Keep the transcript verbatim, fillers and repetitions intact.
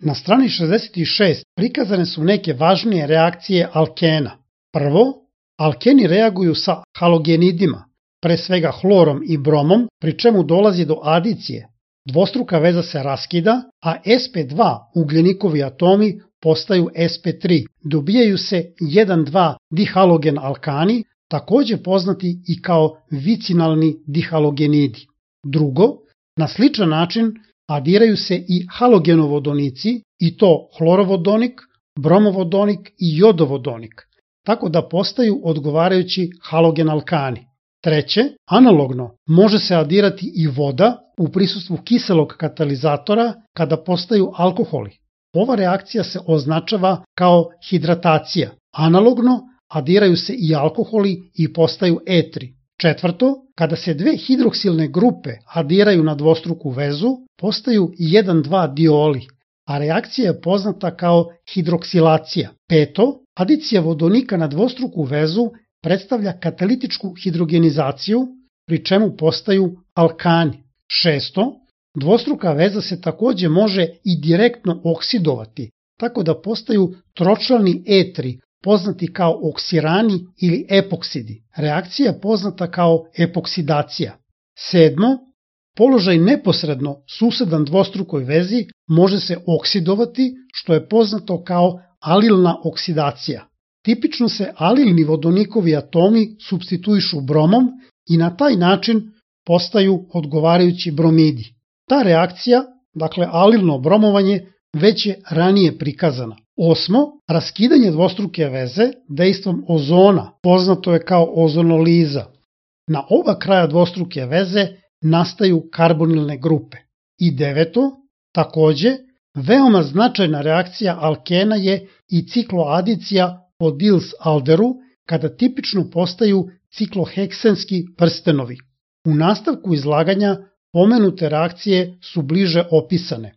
Na strani šezdeset šest prikazane su neke važnije reakcije alkena. Prvo, alkeni reaguju sa halogenidima, pre svega hlorom i bromom, pri čemu dolazi do adicije. Dvostruka veza se raskida, a es pe dva ugljenikovi atomi postaju es pe tri. Dobijaju se jedan dva dihalogen alkani, takođe poznati i kao vicinalni dihalogenidi. Drugo, na sličan način adiraju se i halogenovodonici, i to hlorovodonik, bromovodonik i jodovodonik, tako da postaju odgovarajući halogen alkani. Treće, analogno može se adirati i voda u prisustvu kiselog katalizatora kada postaju alkoholi. Ova reakcija se označava kao hidratacija. Analogno adiraju se i alkoholi i postaju etri. Četvrto, kada se dve hidroksilne grupe adiraju na dvostruku vezu, postaju jedan dva dioli, a reakcija je poznata kao hidroksilacija. Peto, adicija vodonika na dvostruku vezu predstavlja katalitičku hidrogenizaciju, pri čemu postaju alkani. Šesto, dvostruka veza se takođe može i direktno oksidovati, tako da postaju tročlani etri, poznati kao oksirani ili epoksidi. Reakcija je poznata kao epoksidacija. Sedmo, položaj neposredno susedan dvostrukoj vezi može se oksidovati, što je poznato kao alilna oksidacija. Tipično se alilni vodonikovi atomi supstituišu bromom i na taj način postaju odgovarajući bromidi. Ta reakcija, dakle alilno bromovanje, već je ranije prikazana. Osmo, raskidanje dvostruke veze dejstvom ozona, poznato je kao ozonoliza. Na oba kraja dvostruke veze nastaju karbonilne grupe. I deveto, takođe, veoma značajna reakcija alkena je i cikloadicija po Diels-Alderu, kada tipično postaju cikloheksenski prstenovi. U nastavku izlaganja pomenute reakcije su bliže opisane.